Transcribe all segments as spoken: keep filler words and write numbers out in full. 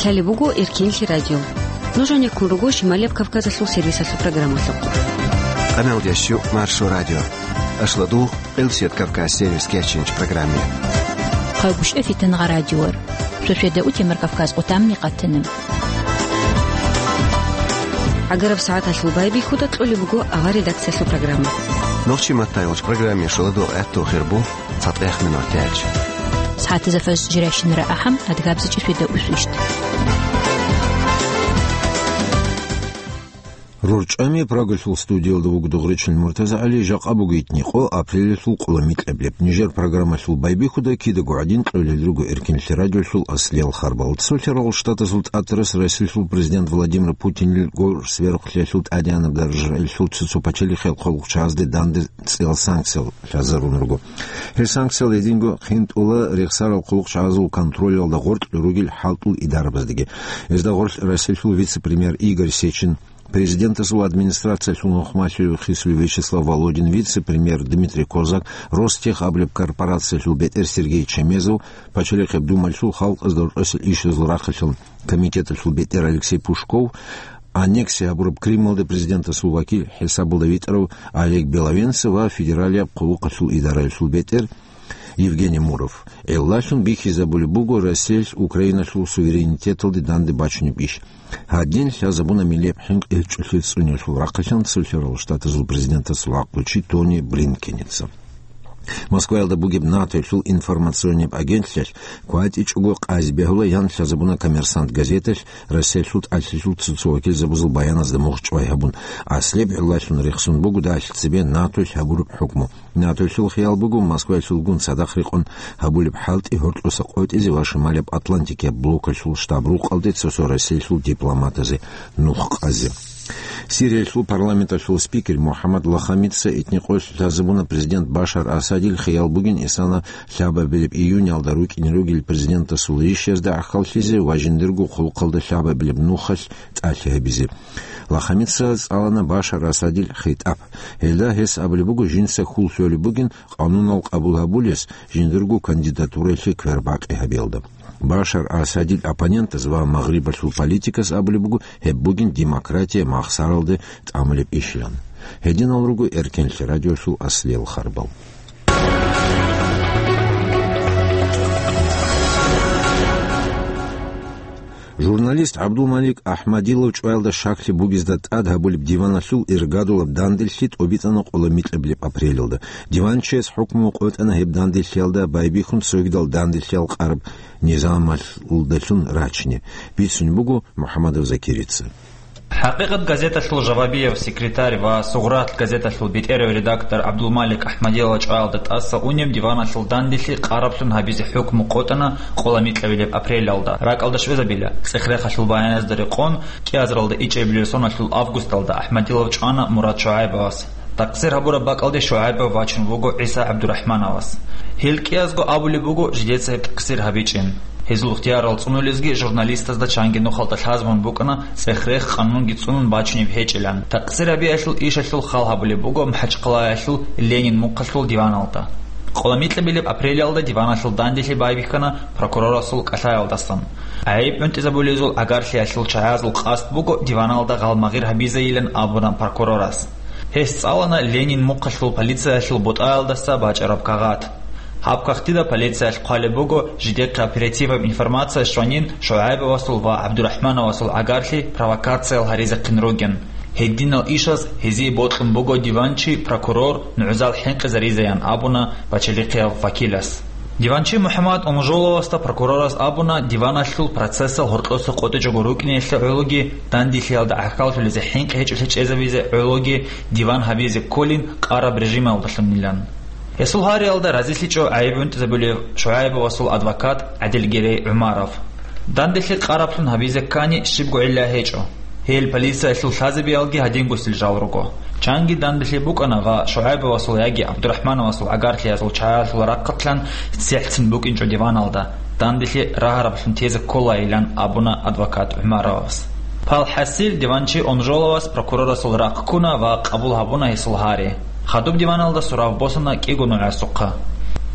Гьале буго Эркинлъи радио. Нуж гьанеккун руго Шималияб Кавказалъул сервисалъул программалъухъ. Къаналдящу Маршо радио. Ашладу Элсет Кавказ сервис кечинч программе. Хъагушев Фитангъа радиор. Сосведа утемар Кавказ отамни къатанам. ГӀагараб сагӀаталъул байбихьуда кьолеб буго авар редакциялъул программа. Нохчи маттайолч программе шуладу гӀатту хирбу цатӀех минут тяч. СагӀатазафас жиращинара ахӀам адгабзичӀи сосведа усвищт. РорчӀами Прагалъул студиялда вуго Дугъричил МуртазагӀали, жакъа буго итни къо, апрелалъул къоло микьаблеб. Нижер программалъул байбихьуда кидаго гӀадин кьолел руго Эркинлъи радиолъул аслиял харбал. Цолъарал Штатазул тӀатарас Россиялъул президент Владимир Путинил гъоркь сверухълъиялъул тӀадегӀанаб даражаялъул цо-цо пачалихъал хъулухъчагӀазде данде цӀиял санкциял лъазарун руго. Гьел санкциял гьединго хинтӀула рехсарал хъулухъчагӀазул контролалда гъоркь ругел хӀалтӀул идарабаздаги. Гьезда гъорлъ Россиялъул вице-премьер Игорь Сечин, президентасул администрациялъул нухмалъулев хисулев Вячеслав Володин, вице-премьер Дмитрий Козак, Ростех абулеб корпорациялъул бетӀер Сергей Чемезов, Пачалихъеб Думалъул халкъазда рокьосел ишазул рахъалъул комитеталъул бетӀер Алексей Пушков, аннексия гьабураб Крымалда президентасул вакил хӀисабалда витӀарав Олег Беловенцев ва федералияб хъулухъалъул идараялъул бетӀер Евгений Муров. Гьелдалъун бихьизабулеб буго Россиялъ Украиналъул суверенитеталде данде бачунеб иш. Гьадин лъазабуна миллияб хӀинкъи гьечӀолъи цӀуниялъул рахъалъан Цолъарал Штатазул президентасул гӀакълучи Тони Блинкеница. Москваялда бугеб НАТОялъул информационнияб агентлъиялъ кватӀичӀого къазе бегьула ян лъазабуна «Коммерсант» газеталъ Россиялъул тӀалъилъул цо-цо вакилзабазул баяназда мугъчӀвай гьабун, аслияб гӀиллалъун рехсон буго дагьалъ цебе НАТОялъ гьабураб хӀукму. НАТОялъул хиял буго Москваялъулгун цадахъ рекъон гьабулеб хӀалтӀи гьоркьоса къотӀизе ва Шималияб Атлантикияб блокалъул штаб-рукъалде цо-цо Россиялъул дипломатазе нух къазе. Сириялъул парламенталъул спикер МухӀаммад Лахамица итни къо лъазабуна президент Башар Асадил хиял бугин исана лъабабилеб июнялда рукӀине ругел президентасул ришязда гӀахьаллъизе ва жиндирго хъулухъалда лъабабилеб нухалъ тӀалъи гьабизе. Лахамица цӀалана Башар Асадил хитӀаб. Гьелда гьес абулеб буго жинца хьул лъолеб бугин къанунал къабул гьабулес жиндирго кандидатураялъе квербакъи гьабиялда. Башар Асадил оппонентаз ва Магърибалъул политиказ абулеб буго гьеб бугин демократия махсаралде тӀамулеб ишилан. Гьединал руго Эркенлъи радиолъул аслиял харбал. Журналист ГӀабдулмалик Ахмадилов чӀваялда щаклъи бугезда тӀад гьабулеб диваналъул иргадулаб данделъи тӀобитӀана къоло микьабилеб апрелалда. Диванчияс хӀукму къотӀана гьеб данделъиялда байбихьун цогидал данделъиял къараб низамалдалъун рачине, бицунеб буго МухӀамадов Закирица. ХӀакъикъат газеталъул жавабияб секретарь ва Сугърат газеталъул бетӀерав редактор ГӀабдулмалик Ахмадилов чӀваялда тӀаса унеб диваналъул данделъи къараблъун гьабизе хӀукму къотӀана къоло микьабилеб апрелалда. РакӀалда щвезабила, цӀех-рехалъул баяназда рекъон, кӀиазаралда ичӀабилеб соналъул августалда Ахмадилов чӀвана Мурад ШугӀайбовас. Такъсир гьабураб бакӀалде ШугӀайбов вачун вуго ГӀиса ГӀабдурахӀмановас. Гьел кӀиязго абулеб буго жидеца гьеб такъсир гьабичӀин. Гьезул ихтиярал цӀунулезги журналистазда чанги нухалда лъазабун букӀана цӀех-рех къанунги цӀунун бачунеб гьечӀилан. Такъсир гьабиялъул ишалъул хал гьабулеб буго МахӀачхъалаялъул Ленин мухъалъул диваналда. Къоло микьабилеб апрелалда диваналъул данделъи байбихьана прокурорасул кӀалъаялдасан. ГӀайиб гӀунтӀизабулезул гӀагарлъиялъул чагӀазул къасд буго диваналда гъалмагъир гьабизейилан абуна прокурорас. Гьес цӀалана Ленин мухъалъул полициялъул бутӀаялдаса бачӀараб кагъат. Гьаб кагътида полициялъ хъвалеб буго, жидехъе оперативаб информация щванин ШугӀайбовасул ва ГӀабдурахӀмановасул гӀагарлъи провокациял гьаризехъин ругин. Гьединал ишаз гьезие бокьун буго диванчи, прокурор, нугӀзал хӀинкъизаризеян абуна пачалихъияб вакилас. Диванчи МухӀаммад Унжоловасда прокурорас абуна, диваналъул процессал гьоркьоса къотӀичӀого рукӀиналъе гӀологи, данделъиялда гӀахьаллъулезе хӀинкъи гьечӀолъи чӀезабизе гӀологи диван гьабизе кколин къараб режималдалъунилан. Гьесул гьариялда разилъичӀо гӀайиб гӀунтӀизабулев ШугӀайбовасул адвокат ГӀадилгерей ГӀумаров. Данделъи къараблъун гьабизе ккани щибго гӀилла гьечӀо. Гьел полициялъул лъазабиялги гьадингосел жал руго. Чанги данделъи букӀана ва ШугӀайбовасул яги ГӀабдурахӀмановасул гӀагарлъиязул чагӀазул рахъалъан цехӀцин букӀинчӀо диваналда, данделъи рагьараблъун тезе кколайилан абуна адвокат ГӀумаровас. Пал хӀасил диванчи Унжоловас прокурорасул рахъ ккуна ва къабул гьабуна гьесул гьари. Хадуб диваналда сурав босана кӀиго нугӀасухъа.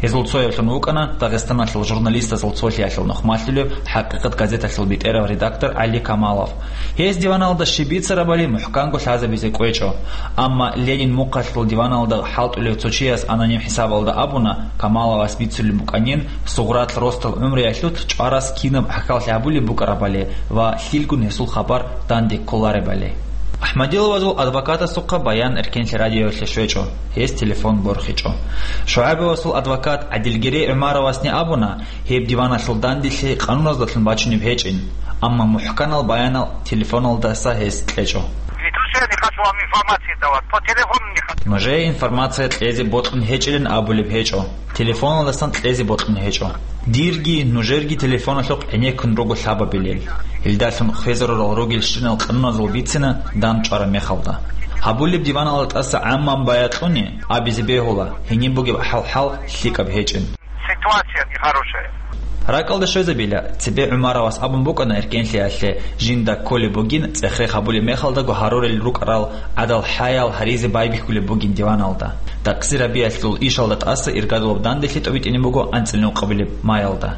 Гьезул цояблъун вукӀана Дагъистаналъул журналистазул цолъиялъул нухмалъулев «ХӀакъикъат» газеталъул бетӀерав редактор ГӀали Камалов. Гьес диваналда щиб бицарабали мухӀканго лъазабизе кӀвечӀо. Амма Ленин мухъалъул диваналда хӀалтӀулев цо чияс аноним хӀисабалда абуна, Камаловас бицулеб букӀанин, Сугърат росдал гӀумруялъулъ чӀварас кинаб гӀахьаллъи гьабулеб букӀарабали ва лъилгун гьесул хабар данде кколаребали. Ахмадиловазул адвокатасухъа баян Эркенлъи радиоялъе щвечӀо, гьес телефон борхичӀо. ШугӀайбовасул адвокат ГӀадилгерей ГӀумаровасни абуна, гьеб диваналъул данделъи къануназдалъун бачунеб гьечӀин, амма мухӀканал баянал телефоналдаса гьес кьечӀо. Ведь уже не хочу вам информации давать, по телефону не хочу. Нужее информация кьезе бокьун гьечӀилан абулеб гьечӀо, телефоналдасан кьезе бокьун гьечӀо. Дирги нужерги телефоналъухъ гӀенеккун руго лъабабилел. Гьелдалъун хвезарурал ругелщинал къануназул бицина дандчӀвараб мехалда. Гьабулеб диваналда тӀаса гӀаммаб баян кьуни абизе бегьула, гьениб бугеб хӀал-хӀал лъикӀаб гьечӀин. Ситуация нехорошая. РакӀалда щвезабила, цебе ГӀумаровас абун букӀана Эркенлъиялъе жинда кколеб бугин цӀех-рех гьабулеб мехалдаго гьарурел рукӀарал гӀадал-хӀаял гьаризе байбихьулеб бугин диваналда. Такъсир гьабиялъул ишалда тӀаса иргадулаб данделъи тӀобитӀине буго анцӀила нукъабилеб маялда.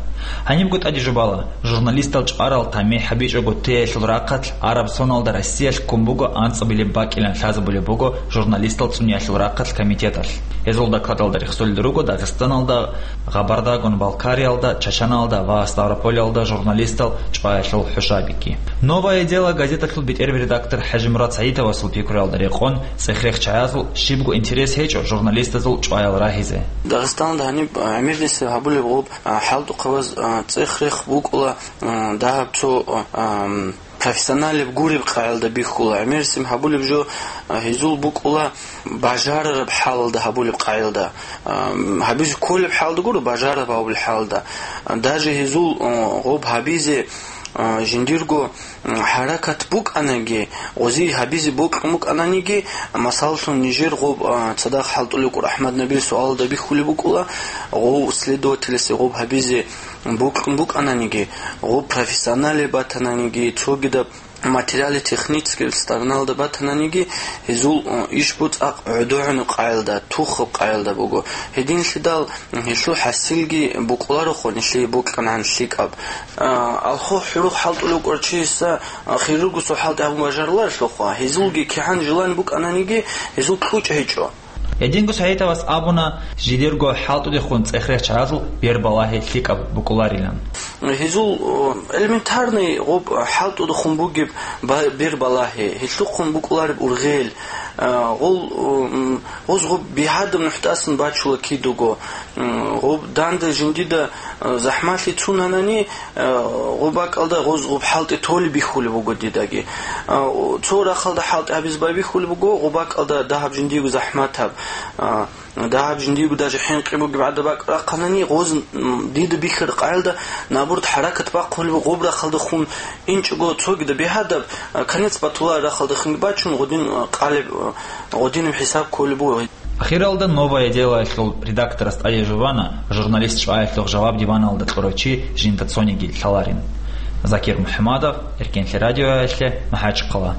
Гьанибго тӀаде жубала, журналистал чӀварал тамихӀ гьабичӀого теялъул рахъалъ араб соналда Россиялъ ккун буго анцӀабилеб бакӀилан лъазабулеб буго журналистал цӀуниялъул рахъалъ комитеталъ. Гьезул докладалда рехсолел руго Дагъистаналда, Гъабардагун Балкариялда, Чачаналда ва Ставрополялда журналистал чӀваялъул хӀушабиги. «Новое дело» газеталъул бетӀерб редактор ХӀажимурад СагӀидовасул пикруялда рекъон, цӀех-рех чагӀазул щибго интерес гьечӀо журналистазул чӀваял рагьизе. Дагъистаналда гьаниб, а, гӀемерлъиса гьабулеб гъоб, а, хӀалтӀухъабаз, а, цӀех-рех букӀула, а, дагьаб цо, а, ам, профессионалеб гуреб къагӀилда бихьула. ГӀемерисеб гьабулеб жо, а, гьезул букӀула бажарараб хӀалалда гьабулеб къагӀилда. А, гьабизе кколеб хӀалда гуро, бажарараб гьабулеб хӀалда. А, даже гьезул, а, гъоб гьабизе, а, жиндирго, м, хӀаракат букӀанаги, гъозие гьабизе бокьун букӀананиги, масалалъун, нижер гъоб, а, цадахъ хӀалтӀулев вукӀур АхӀмад Набиев суалалда бихьулеб букӀула, гъов следователасе гъоб гьабизе бокьун букӀананиги, гъоб профессионале батананиги, цогидаб материале-технический стороналда батананиги, гьезул, э, иш буцӀа гӀодогӀунеб къагӀилда, тухаб къагӀилда буго. Гьединлъидал гьелъул хӀасилги букӀулароха нилъее бокьанан лъикӀаб. Э, алхо хӀурухъ хӀалтӀулев вукӀарав чиясда, э, хирургасул хӀалтӀи гьабун бажаруларелъулха, гьезулги кигӀан желание букӀананиги, гьезул кьучӀ гьечӀо. Гьединго СагӀидовас абуна, жидерго хӀалтӀудехун цӀех-рех чагӀазул бербалагьи лъикӀаб букӀуларилан. Гьезул, э, элементарный гъоб хӀалтӀудехун бугеб ба-, бербалагьи, гьелъухъун букӀулареб ургъел, э, гъол, э, м, гъоз гъоб бигьадаб нухӀтӀасан бачула кидаго, м, гъоб данде жиндида, э, захӀмалъи цунанани, Э, гъоб бакӀалда гъоз гъоб хӀалтӀи толеб бихьулеб буго дидаги. Э, цо рахъалда хӀалтӀи гьабизе байбихьулеб буго, гъоб бакӀалда дагьаб жиндиего захӀматаб, э, дагьаб жиндиего даже хӀинкъи бугеб гӀадаб бакӀ рахъанани, гъоз, м, дида бихьараб къагӀилда, наоборот, хӀаракат бахъулеб буго, гъоб рахъалдехун инчӀого цогидаб бигьадаб, э, конец батулареб рахъалдехунги бачун, гъодин, э, къалеб, э, гъодинаб хӀисаб кколеб буго. Ахиралда «Новое дело»ялъул редакторас тӀаде жубана, журналист чӀваялъухъ жаваб диваналда кьурав чи жинда цониги лъаларин. Закир МухӀамадов, Эркенлъи радиоялъе, МахӀачхъала.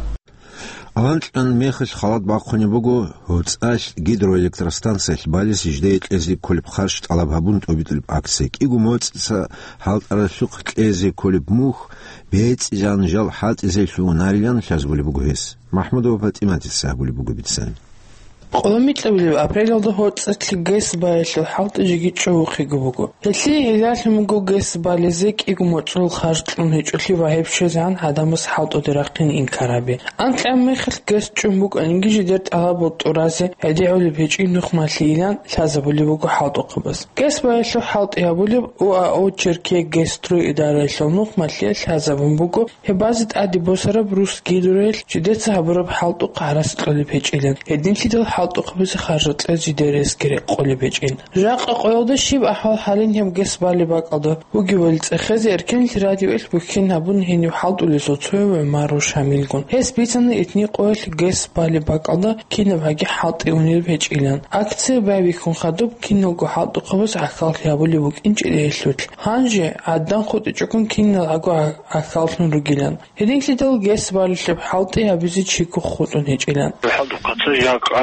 Аванкьан мехалъ халат бахъунеб буго гьоцӀалъ гидроэлектростанциялъ балес жидее кьезе кколеб харж тӀалаб гьабун тӀобитӀулеб акция. КӀиго моцӀица хӀалтӀаралъухъ кьезе кколеб мухь бецӀи жанжал хӀалтӀизе лъугьунарилан лъазабулеб буго гьес. МахӀмудова ПатӀиматица гьабулеб буго бицан. Къоло микьабилеб апрелалда гьоцӀалъ ГЭС баялъул хӀалтӀи жеги чӀобохъего буго. Гьелъие гӀиллалъун буго ГЭС балезе кӀиго моцӀрол харж кьун гьечӀолъи ва гьеб щвезегӀан гӀадамаз хӀалтӀуде рахъине инкар гьабе. Анкьаб мехалъ ГЭС чӀун букӀаниги жидер тӀалабал тӀуразе гӀедегӀулеб гьечӀин нухмалъийилан лъазабулеб буго хӀалтӀухъабаз. ГЭС баялъул хӀалтӀи гьабулеб ОАО «Черкегазстрой» идараялъул нухмалъиялъ лъазабун буго, гьеб базе тӀаде босараб Русгидроялъ жидеца гьабураб хӀалтӀухъ гӀарац кьолеб гьечӀилан, гьединлъидал хӀалтӀухъабазе харжал кьез жидер ресги рекъолеб гьечӀин. Жакъа къоялда щиб ахӀвал гьалин гьеб ГЭС балеб бакӀалда бугебали цӀехезе Эркенлъи радиоялъ бухьен гьабун гьенив хӀалтӀулесул цояв ГӀумаров Шамилгун. Гьес бицана итни къоялъ ГЭС балеб бакӀалда кинабгӀаги хӀалтӀи унеб гьечӀилан. Акция байбихьун хадуб киналго хӀалтӀухъабаз гӀахьаллъи гьабулеб букӀин чӀегӀерлъулъ. Гьанже гӀаддан хутӀичӀогун киналгӀаго гӀахьаллъун ругилан. Гьединлъидал ГЭС балелъуб хӀалтӀи гьабизе чиго хутӀун гьечӀилан. ХӀалтӀухъаца жакъа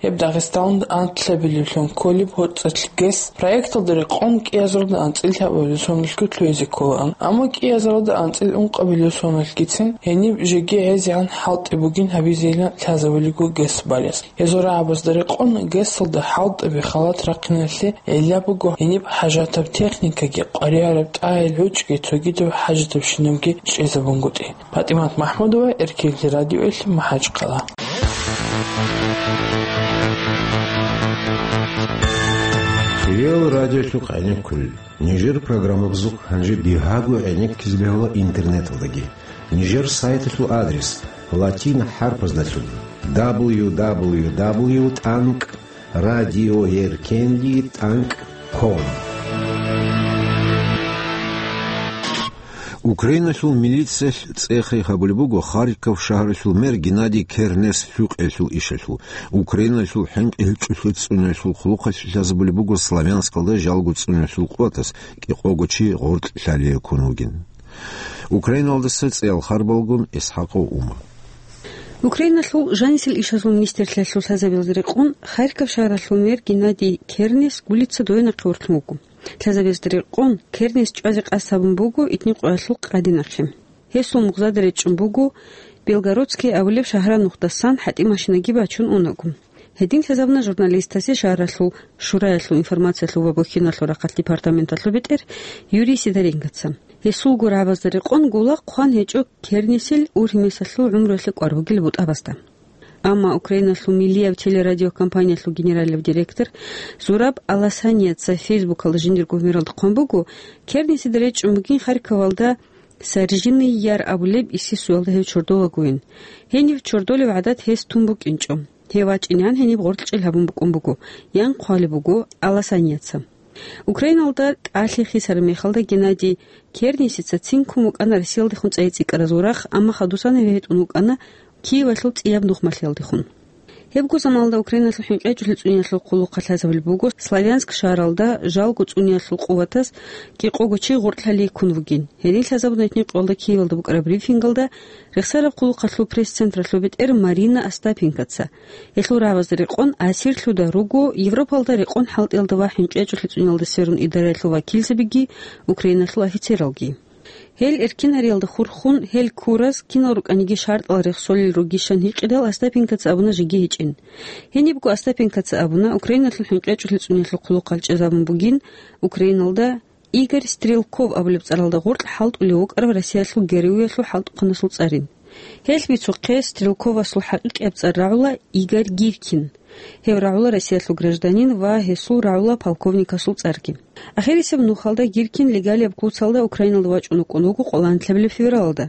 Гьеб Дагъистаналда анлъабилевлъун кколеб гьоцӀалъ ГЭС проекталда рекъон кӀиазаралда анцӀила гьабулеб соналъго лъугьизе кколаан, амма кӀиазаралда анцӀила ункъабилеб соналъгицин гьениб жеги гӀезегӀан хӀалтӀи бугин гьабизейилан лъазабулебго ГЭС балес. Гьезул рагӀабазда рекъон ГЭСалда хӀалтӀаби халат рахъиналъе гӀилла буго гьениб хӀажатаб техникаги, къваригӀараб тӀагӀел гӀучӀги цогидаб хӀажатабщинабги чӀезабунгутӀи. ПатӀимат МахӀмудова, Эркинлъи радиоялъ, МахӀачхъала. Кирилл радиолъухъ гӀенеккулел. Нижер программабазухъ гьанже бигьаго гӀенеккизе бегьула интернеталдаги. Нижер сайталъул адрес латин хӀарпаздалъун: дабл ю дабл ю дабл ю тӀанкӀ радиоеркенли тӀанкӀ ком. Украиналъул милициялъ цӀех-рех гьабулеб буго Харьков шагьаралъул мэр Геннадий Кернес лъукъиялъул ишалъул. Украиналъул хӀинкъи гьечӀолъи цӀуниялъул хъулухъалъ лъазабулеб буго Славянскалда жалго цӀуниялъул къуватас кӀикъого чи гъоркьлъалие ккун вугин. Украиналдаса цӀеял харбалгун ИсхӀакъов Ума. Украиналъул жанисел ишазул министрлъиялъул лъазабилза рекъон Харьков шагьаралъул мэр Геннадий Кернес гулица Доя нахъе вортлъун вуго. Лъазабилза рекъон Кернес чӀвазе къасд гьабун буго итни къоялъул къаде нахъе. Гьесул мугъзада речӀчӀун буго Белгородское абулеб шагьараб нухдасан хӀатӀи машинаги бачун унаго. Гьедин лъазабуна журналистасе шагьаралъул шураялъул информациялъул ва бухьиналъул рахъалъ департаменталъул бетӀер Юрий Сидоренкоца. Гьесулго рагӀабазда рекъон гулахъ хъван гьечӀо Кернесил ургьимесалъул гӀумруялъе кӀвар бугел бутӀабазда. Амма Украиналъул миллияб телерадиокомпаниялъул генералияб директор Зураб Аласаняца Фейсбукалда жиндир гомералда хъван буго, Кернесида речӀчӀун бугин Харьковалда Саржиный Яр абулеб исисуялда гьев чордолагоин. Гьенив чордолев гӀадат гьес тун букӀинчӀо. Гьев вачӀинегӀан гьениб гъоркьчӀел гьабун букӀун буго, ян хъвалеб буго Аласаняца. Украиналда кӀалъи хисараб мехалда Геннадий Кернесица цин ккун вукӀана Россиялдехун цӀайи-цӀикӀкӀаразул рахъ, амма хадусан гьев гьетӀун вукӀана Киевалъул цӀияб нухмалъиялдехун. Гьебго заманалда Украиналъул хӀинкъи гьечӀолъи цӀуниялъул хъулухъалъ лъазабулеб буго Славянск шагьаралда жалго цӀуниялъул къуватас кӀикъого чи гъоркьлъалие ккун вугин. Гьедин лъазабуна итни къоялда Киевалда букӀараб брифингалда рехсараб хъулухъалъул пресс-централъул бетӀер Марина Остапенкоца. Гьелъул рагӀабазда рекъон асирлъуда руго Европалда рекъон хӀалтӀиялда ва хӀинкъи гьечӀолъи цӀуниялда сверун идараялъул вакилзабиги, Украиналъул офицералги. Гьел эркинариялда хурхун, гьел ккураз кинал рукӀаниги шартӀал рехсолел ругищан гьикъидал, Остапенкоца абуна жеги гьечӀин. Гьенибго Остапенкоца абуна, Украиналъул хӀинкъи гьечӀолъи цӀуниялъул хъулухъалъ чӀезабун бугин Украиналда Игорь Стрелков абулеб цӀаралда гъоркь хӀалтӀулев вукӀарав Россиялъул ГРУ-ялъул хӀалтӀухъанасул цӀарин. Гьелъ бицухъе Стрелковасул хӀакъикъияб цӀар рагӀула Игорь Гиркин. Гьев рагӀула Россиялъул гражданин ва гьесул рагӀула полковникасул цӀарги. Ахирисеб нухалда Гиркин легалияб куцалда Украиналда вачӀун вукӀун вуго къоло анлъабилеб февралалда.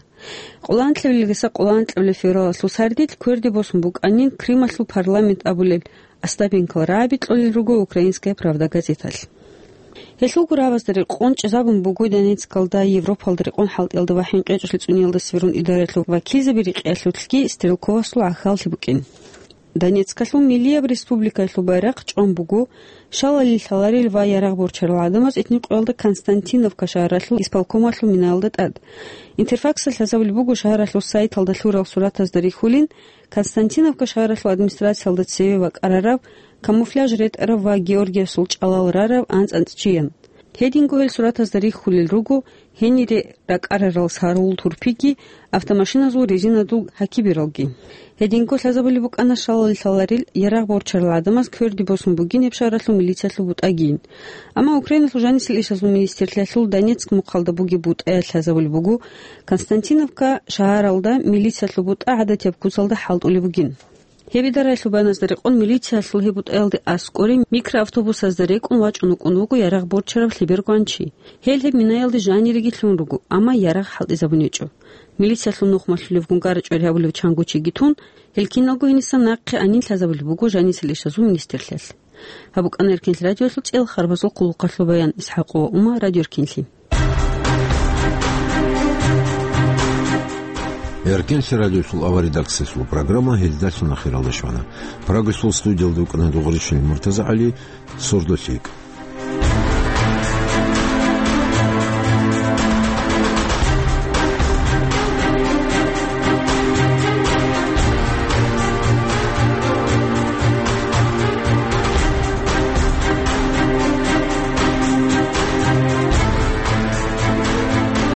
Къоло анлъабилелдаса къоло анкьабилеб февралалъул сардилъ кверде босун букӀанин Крымалъул парламент абулел Остапенкоял рагӀаби кьолел руго «Украинская правда» газеталъ. Гьелъулго рагӀабазда рекъон чӀезабун буго Донецкалда Европалда рекъон хӀалтӀиялда ва хӀинкъи гьечӀолъи цӀуниялда сверун идараялъул вакилзаби рекъиялъулъги Стрелковасул гӀахьаллъи букӀин. Донецкалъул миллияб республикаялъул байрахъ чӀван буго шалалил лъаларел ва ярагъ борчарал гӀадамаз итни къоялда Константиновка шагьаралъул исполкомалъул минаялда тӀад. Интерфаксалъ лъазабулеб буго шагьаралъул сайталда лъурал суратазда рихьулин, Константиновка шагьаралъул администрациялда цеве вакӀарарав, камуфляж ретӀарав ва Георгиевсул чӀалал рарав анцӀ-анцӀчиян. Гьединго гьел суратазда рихьулел руго гьенире ракӀарарал сарул турпиги, автомашиназул резинадул гьакибиралги. Гьединго лъазабулеб букӀана шалалил лъаларел ярагъ борчарал гӀадамаз кверде босун бугин гьеб шагьаралъул милициялъул бутӀагийин. Амма Украиналъул жанисел ишазул министрлъиялъул Донецк мухъалда бугеб бутӀаялъ лъазабулеб буго, Константиновка шагьаралда милициялъул бутӀа гӀадатияб куцалда хӀалтӀулеб бугин. Гьеб идараялъул баяназда рекъон, милициялъул гьеб бутӀаялде аскӀоре микроавтобусазда рекӀун вачӀун вукӀун вуго ярагъ борчарав лъеберго анчи. Гьел гьеб минаялде жаниреги лъун руго, амма ярагъ хӀалтӀизабун гьечӀо. Милициялъул нухмалъулевгун гара-чӀвари гьабулев чанго чиги тун, гьел киналго гьениса нахъе анин лъазабулеб буго жанисел ишазул министрлъиялъ. Гьаб букӀана Эркинлъи радиоялъул цӀел харбазул хъулухъалъул баян. ИсхӀакъова Ума, Радио Эркинлъи. Эркинлъи радиоялъул авария редакциялъул программа гьелдалъун ахиралде щвана. Прагасул студиялда вукӀана Дугъришин МуртазагӀали, сордо лъикӀ.